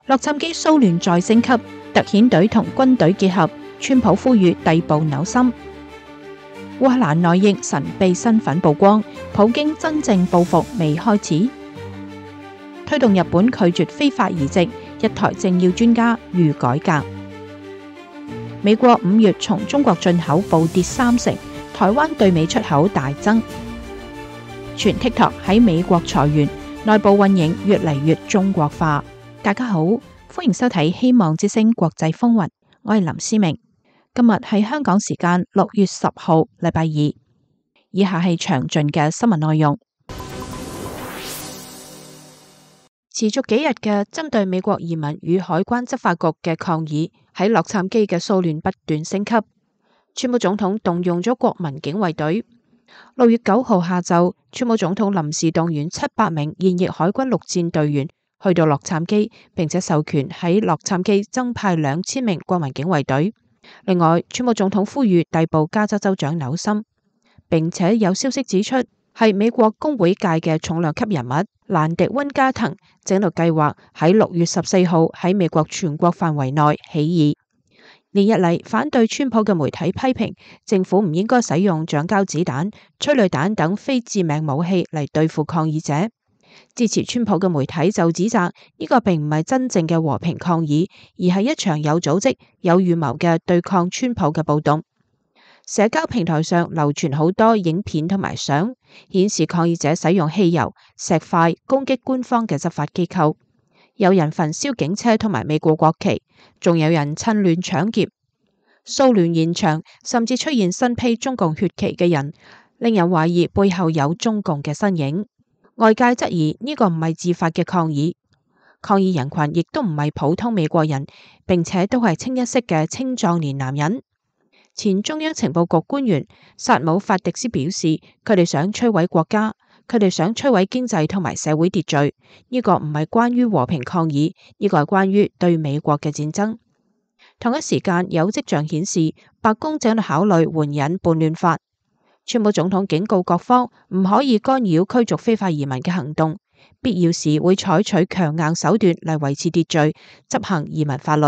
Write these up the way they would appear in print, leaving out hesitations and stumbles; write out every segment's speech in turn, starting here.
洛杉磯騷亂再升級，特遣隊同軍隊結合，川普呼籲逮捕紐森。烏克蘭內應神秘身份曝光，普京真正報復未開始。推動日本拒絕非法移植，一台政要專家預改革。美國5月從中國進口暴跌30%，台灣對美出口大增。傳 TikTok 喺美國裁員，內部運營越嚟越中國化。大家好，歡迎收睇希望之聲國際風雲，我係林思明。今日係香港時間6月10號，禮拜二。以下係詳盡嘅新聞內容。持續幾日嘅針對美國移民與海關執法局嘅抗議，喺洛杉磯嘅騷亂不斷升級。川普總統動用咗國民警衛隊。6月9號下晝，川普總統臨時動員700名現役海軍陸戰隊員去到洛杉磯，並且授權喺洛杉磯增派2000名國民警衛隊。另外，川普總統呼籲逮捕加州州長紐森，並且有消息指出係美國工會界嘅重量級人物蘭迪溫加藤正喺度計劃喺6月14號喺美國全國範圍內起義。連日嚟，反對川普嘅媒體批評政府唔應該使用橡膠子彈、催淚彈等非致命武器嚟對付抗議者。支持川普嘅媒體就指責呢個並唔係真正嘅和平抗議，而係一場有組織、有預謀嘅對抗川普嘅暴動。社交平台上流傳好多影片同埋相，顯示抗議者使用汽油、石塊攻擊官方嘅執法機構，有人焚燒警車同埋美國國旗，仲有人趁亂搶劫。騷亂現場，甚至出現身披中共血旗嘅人，令人懷疑背後有中共嘅身影。外界質疑呢個唔係自發嘅抗議，抗議人群亦都唔係普通美國人，並且都係清一色嘅青壯年男人。前中央情報局官員薩姆法迪斯表示，佢哋想摧毀國家，佢哋想摧毀經濟同埋社會秩序。呢個唔係關於和平抗議，呢個係關於對美國嘅戰爭。同一時間，有跡象顯示白宮正喺度考慮援引叛亂法。川普總統警告各方唔可以干擾驅逐非法移民嘅行動，必要時會採取強硬手段嚟維持秩序，執行移民法律。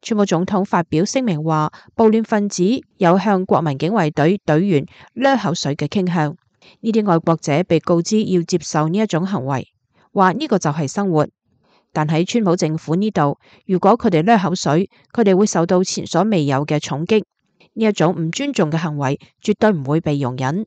川普總統發表聲明話，暴亂分子有向國民警衛隊隊員甩口水嘅傾向，呢啲愛國者被告知要接受呢一種行為，話呢個就係生活。但喺川普政府呢度，如果佢哋甩口水，佢哋會受到前所未有嘅重擊。呢一種唔尊重嘅行為絕對唔會被容忍。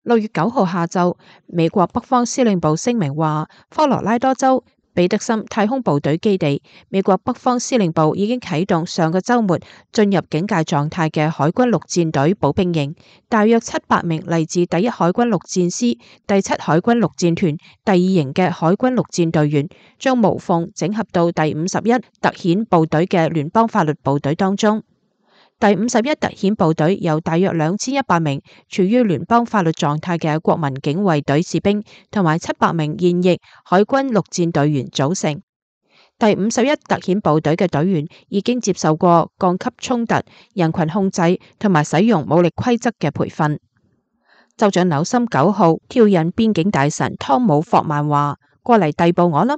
6月9號下晝，美國北方司令部聲明話，科羅拉多州彼得森太空部隊基地，美國北方司令部已經啟動上個週末進入警戒狀態嘅海軍陸戰隊步兵營，大約700名嚟自第一海軍陸戰師、第7海軍陸戰團第2營嘅海軍陸戰隊員，將無縫整合到第51特遣部隊嘅聯邦法律部隊當中。第51特遣部隊由大約2100名處於聯邦法律狀態嘅國民警衛隊士兵同埋700名現役海軍陸戰隊員組成。第51特遣部隊嘅隊員已經接受過降級衝突、人群控制同埋使用武力規則嘅培訓。州長紐森9號挑釁邊境大臣湯姆霍曼話：過嚟逮捕我啦！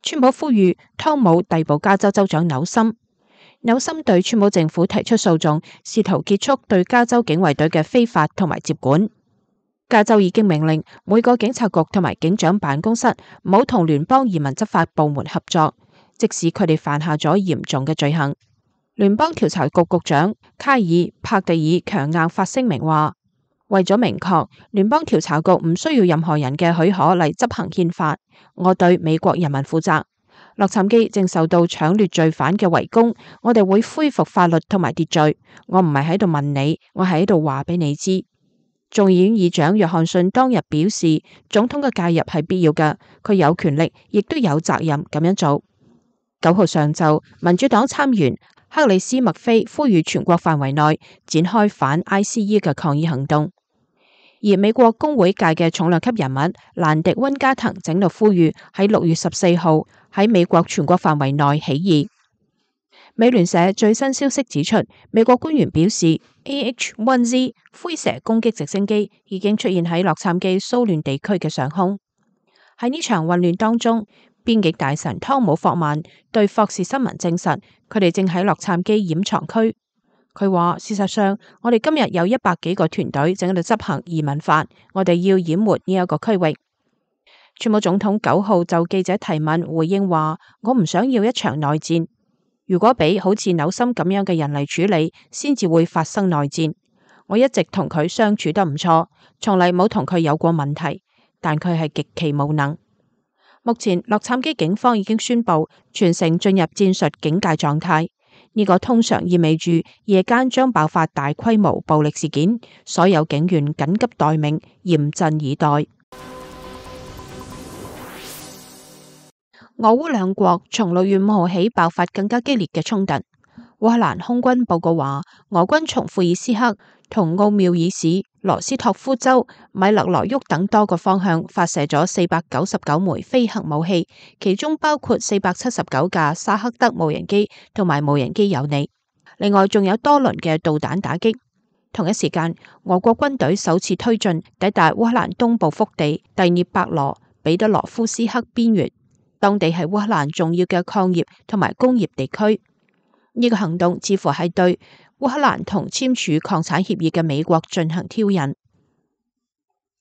川普呼籲湯姆逮捕加州州長紐森。紐森對川普政府提出訴訟，試圖結束對加州警衛隊嘅非法同埋接管。加州已經命令每個警察局同埋警長辦公室唔好同聯邦移民執法部門合作，即使佢哋犯下咗嚴重嘅罪行。聯邦調查局局長卡爾帕蒂爾強硬發聲明話，為咗明確聯邦調查局唔需要任何人嘅許可嚟執行憲法，我對美國人民負責。洛杉磯正受到搶掠罪犯嘅圍攻，我哋會恢復法律同埋秩序。我唔係喺度問你，我係喺度話俾你知。眾議院議長約翰遜當日表示，總統嘅介入係必要嘅，佢有權力，亦都有責任咁樣做。9號上晝，民主黨參員克里斯麥菲呼籲全國範圍內展開反 ICE 嘅抗議行動。而美國工會界嘅重量級人物蘭迪溫加藤整度呼籲喺6月14號喺美國全國範圍內起義。美聯社最新消息指出，美國官員表示 AH-1Z 灰蛇攻擊直升機已經出現喺洛杉磯騷亂地區嘅上空。喺呢場混亂當中，邊境大臣湯姆霍曼對霍士新聞證實，佢哋正喺洛杉磯掩藏區。佢話：事實上，我哋今日有100幾個團隊正喺度執行移民法，我哋要淹沒呢一個區域。川普總統9號就記者提問回應話：我唔想要一場內戰，如果俾好似紐森咁樣嘅人嚟處理，先至會發生內戰。我一直同佢相處得唔錯，從嚟冇同佢有過問題，但佢係極其無能。目前洛杉磯警方已經宣布全城進入戰術警戒狀態，呢個通常意味住夜間將爆發大規模暴力事件，所有警員緊急待命，嚴陣以待。俄烏兩國從6月5號起爆發更加激烈嘅衝突。烏克蘭空軍報告話，俄軍從庫爾斯克同奧繆爾市、羅斯托夫州、米勒羅沃等多個方向發射咗499枚非核武器，其中包括479架沙克德無人機同埋無人機有利。另外仲有多輪嘅導彈打擊。同一時間，俄國軍隊首次推進抵達烏克蘭東部腹地第聶伯羅彼得羅夫斯克邊緣，當地係烏克蘭重要嘅礦業同埋工業地區。呢個行動似乎係對烏克蘭同簽署礦產協議嘅美國進行挑釁。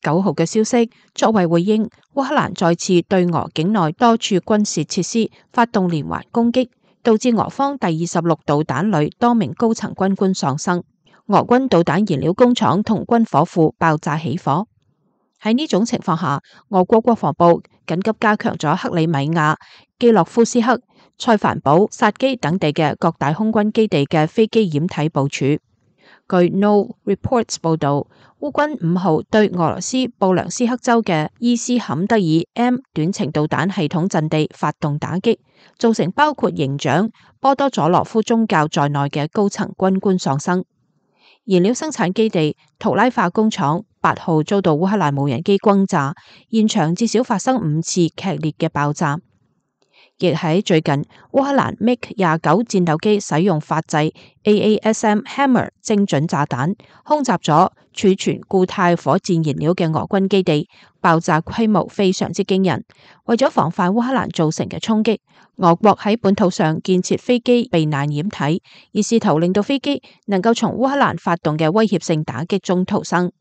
9號嘅消息，作為回應，烏克蘭再次對俄境內多處軍事設施發動連環攻擊，導致俄方第26導彈旅多名高層軍官喪生。俄軍導彈燃料工廠同軍火庫爆炸起火。喺呢種情況下，俄國國防部緊急加強咗克里米亞、基洛夫斯克、塞凡堡、薩基等地嘅各大空軍基地嘅飛機掩體部署。據 No Reports 報道，烏軍5號對俄羅斯布良斯克州嘅伊斯坎德爾 M 短程導彈系統陣地發動打擊，造成包括營長波多佐羅夫宗教在內嘅高層軍官喪生。燃料生產基地圖拉化工廠8號遭到烏克蘭無人機轟炸，現場至少發生5次劇烈嘅爆炸。亦喺最近，烏克蘭 MiG-29戰鬥機使用法製 AASM Hammer 精準炸彈，空襲咗儲存固態火箭燃料嘅俄軍基地，爆炸規模非常之驚人。為咗防範烏克蘭造成嘅衝擊，俄國喺本土上建設飛機避難掩體，而試圖令到飛機能夠從烏克蘭發動嘅威脅性打擊中逃生。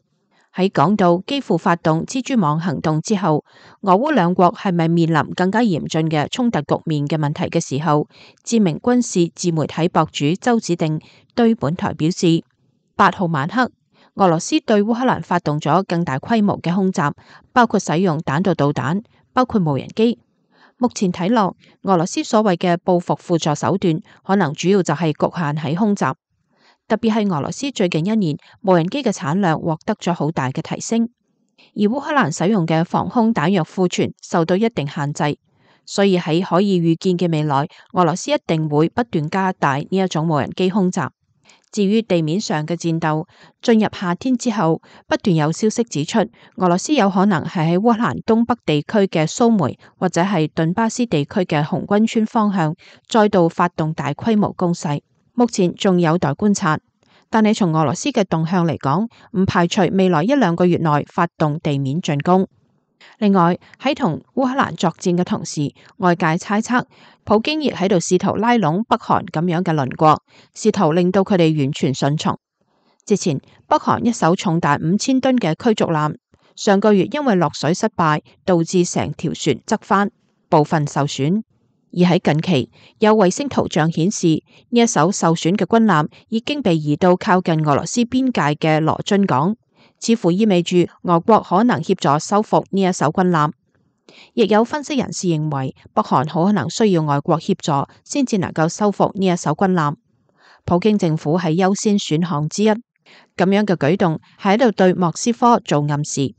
喺講到幾乎發動蜘蛛網行動之後，俄烏兩國係咪面臨更加嚴峻嘅衝突局面嘅問題嘅時候，知名軍事自媒體博主周子定對本台表示，8號晚黑，俄羅斯對烏克蘭發動咗更大規模嘅空襲，包括使用彈道導彈，包括無人機。目前睇落，俄羅斯所謂嘅報復輔助手段，可能主要就係局限喺空襲。特別係俄羅斯最近1年無人機嘅產量獲得咗好大嘅提升，而烏克蘭使用嘅防空彈藥庫存受到一定限制，所以喺可以預見嘅未來，俄羅斯一定會不斷加大呢一種無人機空襲。至於地面上嘅戰鬥，進入夏天之後，不斷有消息指出，俄羅斯有可能係喺烏克蘭東北地區嘅蘇梅或者係頓巴斯地區嘅紅軍村方向再度發動大規模攻勢。目前仲有待觀察，但係從俄羅斯嘅動向嚟講，唔排除未來1-2個月內發動地面進攻。另外喺同烏克蘭作戰嘅同時，外界猜測普京亦喺度試圖拉攏北韓咁樣嘅鄰國，試圖令到佢哋完全順從。之前北韓一艘重達5000噸嘅驅逐艦，上個月因為落水失敗，導致成條船側翻，部分受損。而喺近期，有衛星圖像顯示，呢一艘受損嘅軍艦已經被移到靠近俄羅斯邊界嘅羅津港，似乎意味住俄國可能協助收復呢一艘軍艦。亦有分析人士認為，北韓好可能需要外國協助，先至能夠收復呢一艘軍艦。普京政府係優先選項之一，咁樣嘅舉動係喺度對莫斯科做暗示。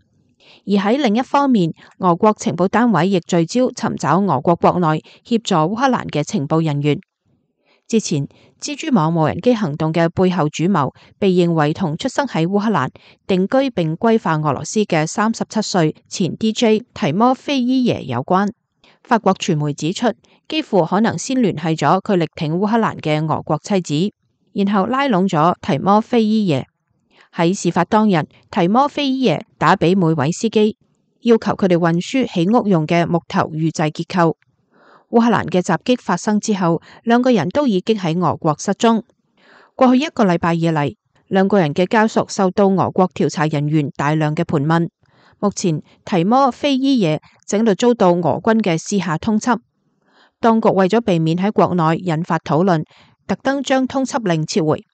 而喺另一方面，俄國情報單位亦聚焦尋找俄國國內協助烏克蘭嘅情報人員。之前蜘蛛網無人機行動嘅背後主謀被認為同出生喺烏克蘭、定居並歸化俄羅斯嘅37歲前 DJ 提摩菲伊耶有關。法國傳媒指出，幾乎可能先聯繫咗佢力挺烏克蘭嘅俄國妻子，然後拉攏咗提摩菲伊耶。喺事發當日，提摩菲伊耶打俾每位司機，要求佢哋運輸起屋用嘅木頭預製結構。烏克蘭嘅襲擊發生之後，兩個人都已經喺俄國失蹤。過去一個禮拜以嚟，兩個人嘅家屬受到俄國調查人員大量嘅盤問。目前提摩菲伊耶正喺度遭到俄軍嘅私下通緝，當局為咗避免喺國內引發討論，特登將通緝令撤回。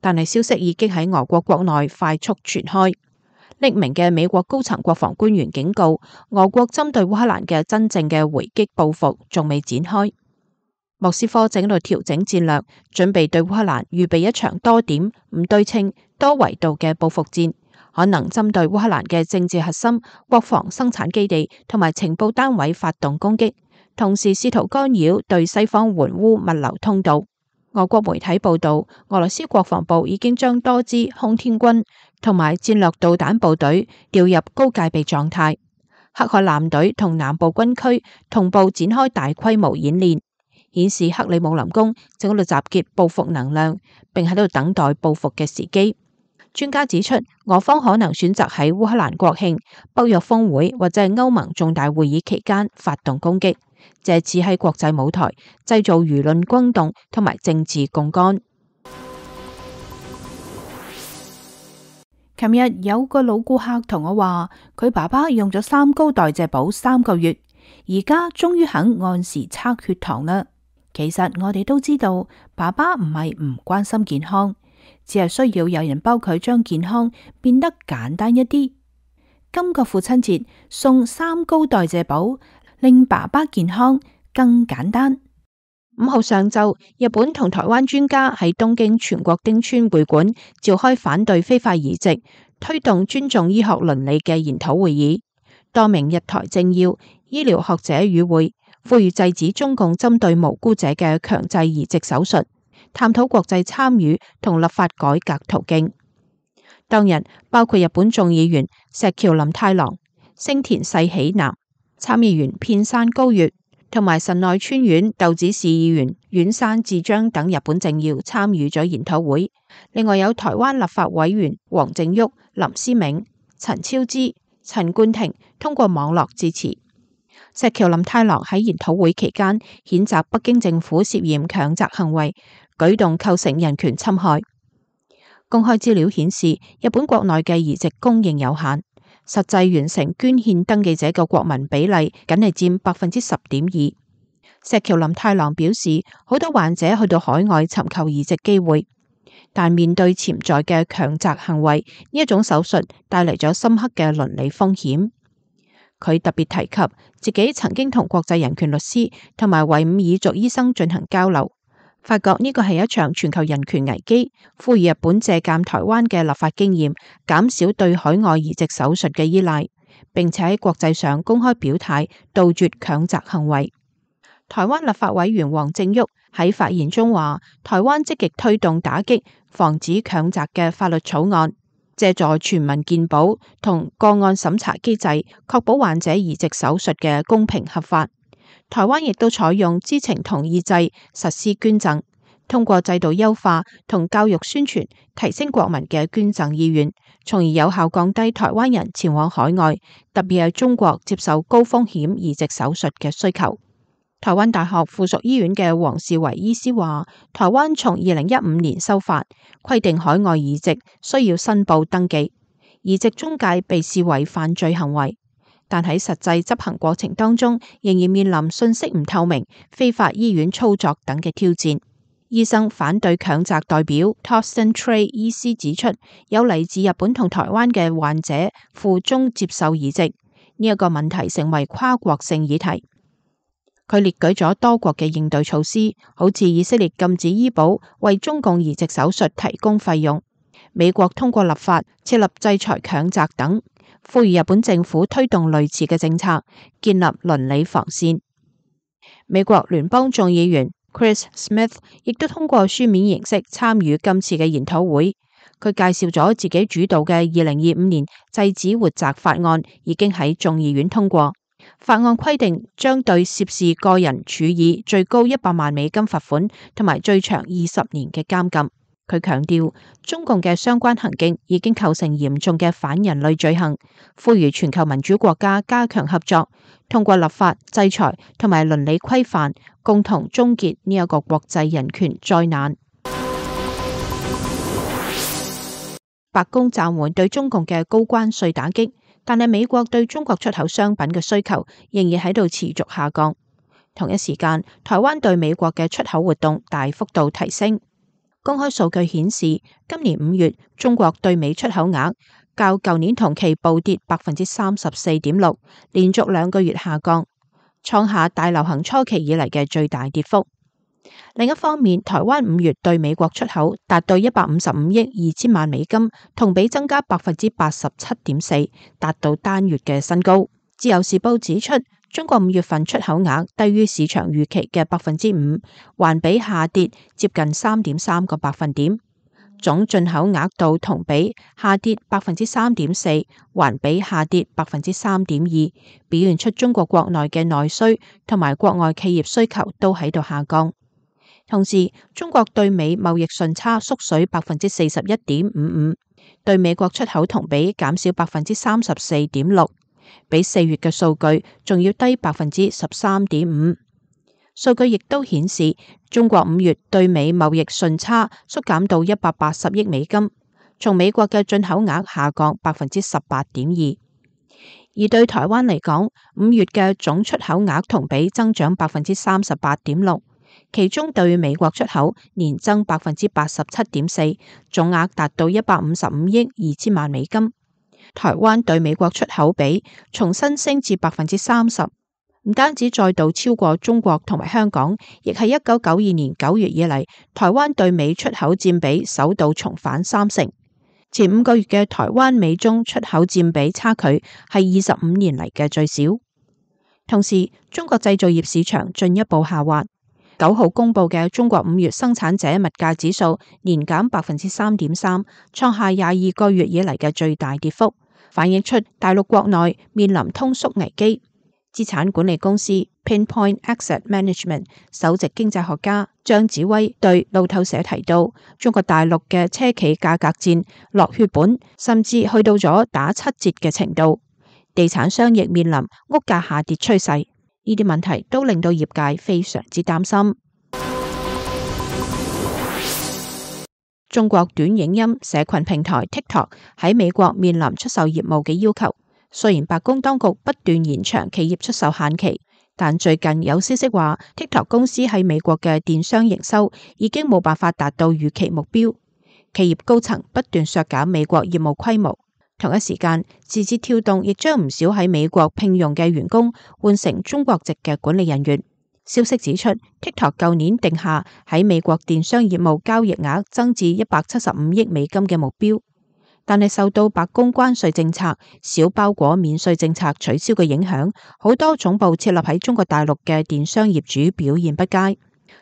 但係消息已經喺俄國國內快速傳開。匿名嘅美國高層國防官員警告，俄國針對烏克蘭嘅真正嘅回擊報復仲未展開。莫斯科正喺度調整戰略，準備對烏克蘭預備一場多點、唔對稱、多維度嘅報復戰，可能針對烏克蘭嘅政治核心、國防生產基地同埋情報單位發動攻擊，同時試圖干擾對西方援烏物流通道。俄國媒體報道，俄羅斯國防部已經將多支空天軍同埋戰略導彈部隊調入高戒備狀態。黑海艦隊同南部軍區同步展開大規模演練，顯示克里姆林宮正喺度集結報復能量，並喺度等待報復嘅時機。專家指出，俄方可能選擇喺烏克蘭國慶、北約峰會或者係歐盟重大會議期間發動攻擊，借此喺國際舞台製造輿論轟動同埋政治槓桿。琴日有個老顧客同我話，佢爸爸用咗三高代謝補3個月，而家終於肯按時測血糖啦。其實我哋都知道，爸爸唔係唔關心健康，只係需要有人幫佢將健康變得簡單一啲。今個父親節送3高代謝補，令爸爸健康更簡單。5號上晝，日本同台灣專家喺東京全國丁村會館召開反對非法移植、推動尊重醫學倫理嘅研討會議。多名日台政要、醫療學者與會，呼籲制止中共針對無辜者嘅強制移植手術，探討國際參與同立法改革途徑。當日包括日本眾議員石橋林太郎、星田世喜男、參議員片山高月同埋神奈川縣豆子市議員丸山智章等日本政要參與咗研討會。另外有台灣立法委員黃正旭、林思銘、陳超之、陳冠廷通過網絡支持。石橋林太郎喺研討會期間譴責北京政府涉嫌強摘行為，舉動構成人權侵害。公開資料顯示，日本國內嘅移植供應有限，實際完成捐獻登記者嘅國民比例僅係佔10.2%。石橋林太郎表示，好多患者去到海外尋求移植機會，但面對潛在嘅強摘行為，呢一種手術帶嚟咗深刻嘅倫理風險。佢特別提及自己曾經同國際人權律師同埋維吾爾族醫生進行交流，發覺呢個係一場全球人權危機，呼籲日本借鑒台灣嘅立法經驗，減少對海外移植手術嘅依賴，並且喺國際上公開表態，杜絕強摘行為。台灣立法委員黃正旭喺發言中話，台灣積極推動打擊防止強摘嘅法律草案，借助全民健保同個案審查機制，確保患者移植手術嘅公平合法。台灣亦都採用知情同意制實施捐贈，通過制度優化同教育宣傳，提升國民嘅捐贈意願，從而有效降低台灣人前往海外，特別係中國接受高風險移植手術嘅需求。台灣大學附屬醫院嘅黃士維醫師話，台灣從2015年修法，規定海外移植需要申報登記，移植中介被視為犯罪行為，但喺實際執行過程當中，仍然面臨信息唔透明、非法醫院操作等嘅挑戰。醫生反對強摘代表 Torsten Trey 醫師指出，有嚟自日本同台灣嘅患者赴中接受移植，呢一個問題成為跨國性議題。佢列舉咗多國嘅應對措施，好似以色列禁止醫保為中共移植手術提供費用，美國通過立法設立制裁強摘等，呼籲日本政府推動類似嘅政策，建立倫理防線。美國聯邦眾議員 Chris Smith 亦都通過書面形式參與今次嘅研討會。佢介紹咗自己主導嘅2025年制止活摘法案已經喺眾議院通過。法案規定將對涉事個人處以最高$100萬罰款同埋最長20年嘅監禁。佢強調，中共嘅相關行徑已經構成嚴重嘅反人類罪行，呼籲全球民主國家加強合作，通過立法、制裁同埋倫理規範，共同終結呢一個國際人權災難。白宮暫緩對中共嘅高關稅打擊，但係美國對中國出口商品嘅需求仍然喺度持續下降。同一時間，台灣對美國嘅出口活動大幅度提升。公開數據顯示，今年5月中國對美出口額較舊年同期暴跌34.6%，連續2個月下降，創下大流行初期以嚟嘅最大跌幅。另一方面，台灣5月對美國出口達到155億2千萬美金，同比增加87.4%，達到單月嘅新高。自由時報指出，中國5月份出口額低於市場預期嘅5%，環比下跌接近3.3個百分點。總進口額度同比下跌3.4%，環比下跌3.2%，表現出中國國內嘅內需同埋國外企業需求都喺度下降。同時，中國對美貿易順差縮水41.55%，對美國出口同比減少34.6%，比4月嘅數據仲要低13.5%。數據亦都顯示，中國5月對美貿易順差縮減到180億美金，從美國嘅進口額下降18.2%。而對台灣嚟講，5月嘅總出口額同比增長38.6%，其中對美國出口年增87.4%，總額達到155億2千萬美金。台灣對美國出口比重新升至30%，唔單止再度超過中國同埋香港，亦係1992年9月以嚟，台灣對美出口佔比首度重返30%。前5個月嘅台灣美中出口佔比差距係25年嚟嘅最少。同時，中國製造業市場進一步下滑。9號公布嘅中國5月生產者物價指數年減3.3%，創下22個月以嚟嘅最大跌幅，反映出大陸國內面臨通縮危機。資產管理公司 Pinpoint Asset Management 首席經濟學家張子威對路透社提到，中國大陸嘅車企價格戰落血本，甚至去到咗打7折嘅程度，地產商亦面臨屋價下跌趨勢。呢啲問題都令到業界非常之擔心。中國短影音社群平台 TikTok 喺美國面臨出售業務嘅要求。雖然白宮當局不斷延長企業出售限期，但最近有消息話 TikTok 公司喺美國嘅電商營收已經冇辦法達到預期目標。企業高層不斷削減美國業務規模。同一時間，字節跳動亦將唔少喺美國聘用嘅員工換成中國籍嘅管理人員。消息指出 ，TikTok 舊年定下喺美國電商業務交易額增至175億美金嘅目標，但係受到白宮關稅政策、小包裹免稅政策取消嘅影響，好多總部設立喺中國大陸嘅電商業主表現不佳，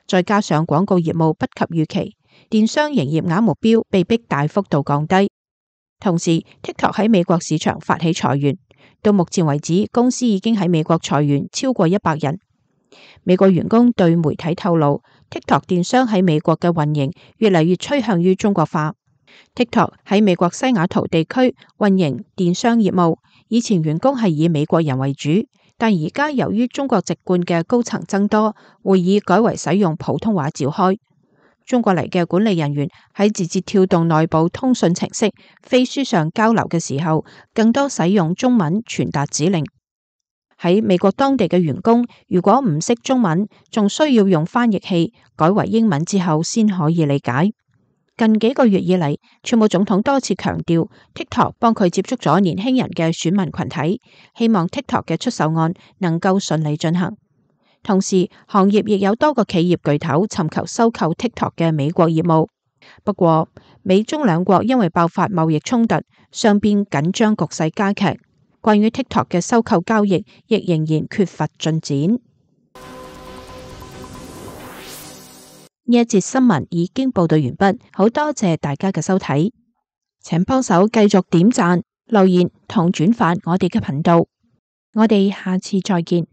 再加上廣告業務不及預期，電商營業額目標被迫大幅度降低。同時 ，TikTok 喺美國市場發起裁員，到目前為止，公司已經喺美國裁員超過100人。美國員工對媒體透露 ，TikTok 電商喺美國嘅運營越嚟越趨向於中國化。TikTok 喺美國西雅圖地區運營電商業務，以前員工係以美國人為主，但而家由於中國籍貫嘅高層增多，會議改為使用普通話召開。中國嚟嘅管理人員喺字節跳動內部通訊程式飛書上交流嘅時候，更多使用中文傳達指令。喺美國當地嘅員工如果唔識中文，仲需要用翻譯器改為英文之後先可以理解。近幾個月以嚟，川普總統多次強調 TikTok 幫佢接觸咗年輕人嘅選民群體，希望 TikTok 嘅出售案能夠順利進行。同時，行業亦有多個企業巨頭尋求收購 TikTok 嘅美國業務。不過，美中兩國因為爆發貿易衝突，雙邊緊張局勢加劇。關於 TikTok 嘅收購交易，亦仍然缺乏進展。呢一節新聞已經報道完畢，好多謝大家嘅收睇，請幫手繼續點讚、留言同轉發我哋嘅頻道。我哋下次再見。